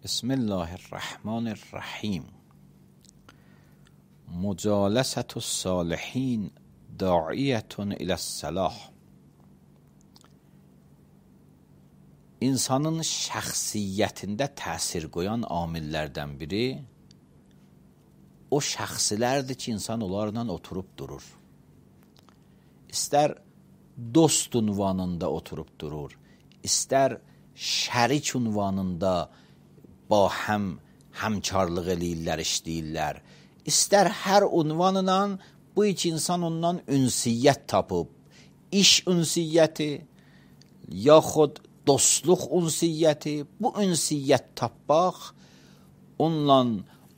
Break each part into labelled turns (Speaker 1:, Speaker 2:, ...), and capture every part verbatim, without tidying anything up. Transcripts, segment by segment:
Speaker 1: Bismillahirrahmanirrahim. Mücalesetü salihin daiyetun iləs-salah. İnsanın şəxsiyyətində təsir qoyan amillərdən biri o şəxsilərdir ki, insan onlarla oturub durur. İstər dost unvanında oturub durur, istər şərik unvanında ba həm həmkarlıq eləyirlər, işləyirlər. İstər hər unvanla bu iki insan ondan ünsiyyət tapıb, iş ünsiyyəti, yaxud dostluq ünsiyyəti, bu ünsiyyət tapmaq, onunla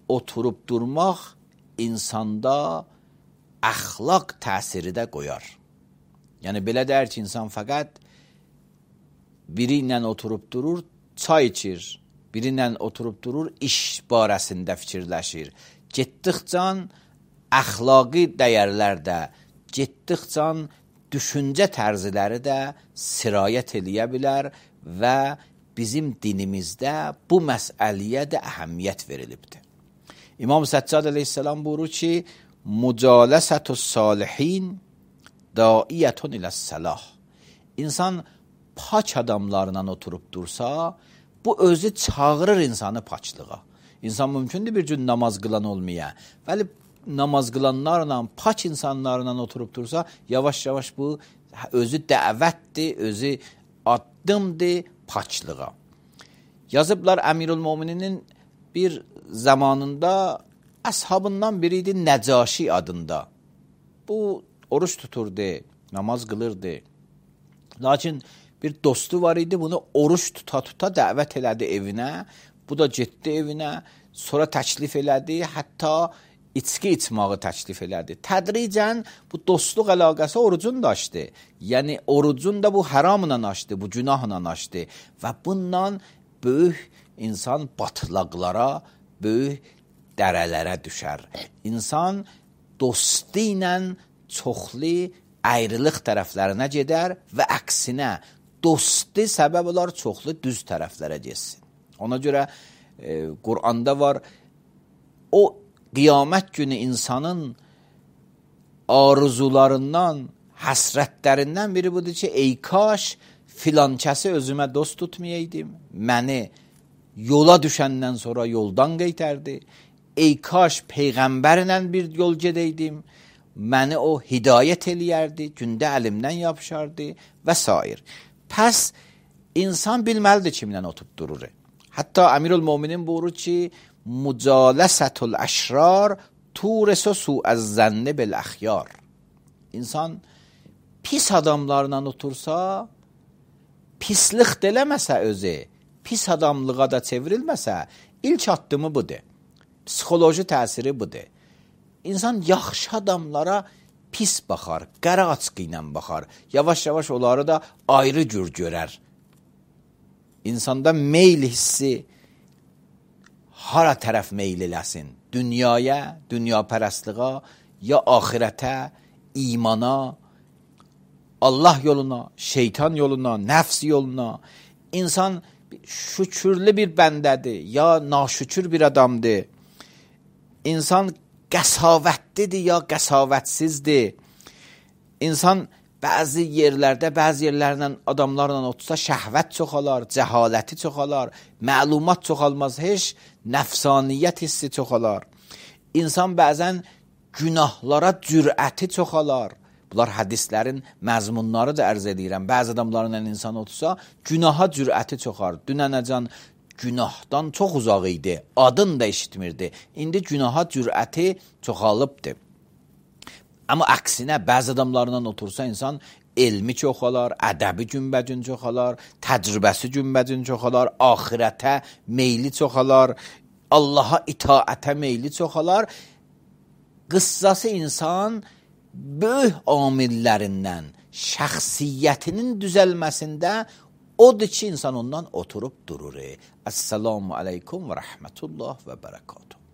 Speaker 1: oturub durmaq insanda əxlaq təsiri də qoyar. Yəni, belə deyər ki, insan fəqət biri ilə oturub durur, çay içir, biri ilə oturub durur, iş barəsində fikirləşir. Getdikcə əxlaqi dəyərlər də, getdikcə düşüncə tərziləri də sirayət eləyə bilər və bizim dinimizdə bu məsələyə də əhəmiyyət verilibdir. İmam Səccad əleyhissalam buyurur ki, mücalesetü salihin daiyetun iləs-salah. İnsan pak adamlarla oturub dursa, bu özü çağırır insanı paçlığa. İnsan mümkündür bir gün namaz qılan olmaya. Bəli, namaz qılanlarla, pak insanlarla oturub dursa, yavaş-yavaş bu özü dəvətdir, özü addımdır paçlığa. Yazıblar Əmirül-Mömininin bir zamanında əshabından biriydi Nəcaşi adında. Bu oruç tuturdu, namaz qılırdı. Lakin bir dostu var idi, bunu oruç tuta-tuta dəvət elədi evinə. Bu da getdi evinə, sonra təklif elədi, hətta içki içmağı təklif elədi. Tədricən bu dostluq əlaqəsi orucun da açdı. Yəni, orucun da bu haramla açdı, bu günahla açdı. Və bundan böyük insan batlaqlara, böyük dərələrə düşər. İnsan dostu ilə çoxlu ayrılıq tərəflərinə gedər və əksinə dostu səbəb olar çoxlu düz tərəflərə getsin. Ona görə e, Quranda var, o qiyamət günü insanın arzularından, həsrətlərindən biri budur ki, ey kaş filan kəsi özümə dost tutmayaydım, məni yola düşəndən sonra yoldan qeytərdi, ey kaş peyğəmbərlə bir yol gedəydim, məni o hidayət eləyərdi, gündə əlimdən yapışardı və s. Pəs insan bilməlidir kimlə otub durur. Hətta Əmirül-Möminin buyurur ki, mücalesetül əşrar turesu su'əz-zənni bil-əxyar. İnsan pis adamlarla otursa, pislik deləməsə özü, pis adamlığa da çevrilməsə, ilk addımı budur. Psixoloji təsiri budur. İnsan yaxşı adamlara pis baxar, qara açqı ilə baxar. Yavaş-yavaş onları da ayrı cür görər. İnsanda meyl hissi hara tərəf meyl eləsin? Dünyaya, dünyapərəstliğə, ya ahirətə, imana, Allah yoluna, şeytan yoluna, nəfs yoluna. İnsan şükürlü bir bəndədir, ya naşükür bir adamdır. İnsan qəsavətlidir, ya qəsavətsizdir. İnsan bəzi yerlərdə, bəzi yerlərlə adamlarla otursa şəhvət çoxalar, cəhaləti çoxalar, məlumat çoxalmaz, heç nəfsaniyyət hissi çoxalar. İnsan bəzən günahlara cürəti çoxalar. Bunlar hədislərin məzmunları da ərz edirəm. Bəzi adamlarla insan otursa günaha cürəti çoxar. Dünənəcən günahdan çox uzaq idi, adın da eşitmirdi. İndi günaha cürəti çoxalıbdır. Amma əksinə, bəzi adamlarla otursa insan elmi çoxalar, ədəbi günbəcün çoxalar, təcrübəsi günbəcün çoxalar, ahirətə meyli çoxalar, Allaha itaətə meyli çoxalar. Qıssası insan böyük amillərindən şəxsiyyətinin düzəlməsində odur ki, insan ondan oturub durur. Əssalamu aleykum və rəhmətullah və bərəkatuhu.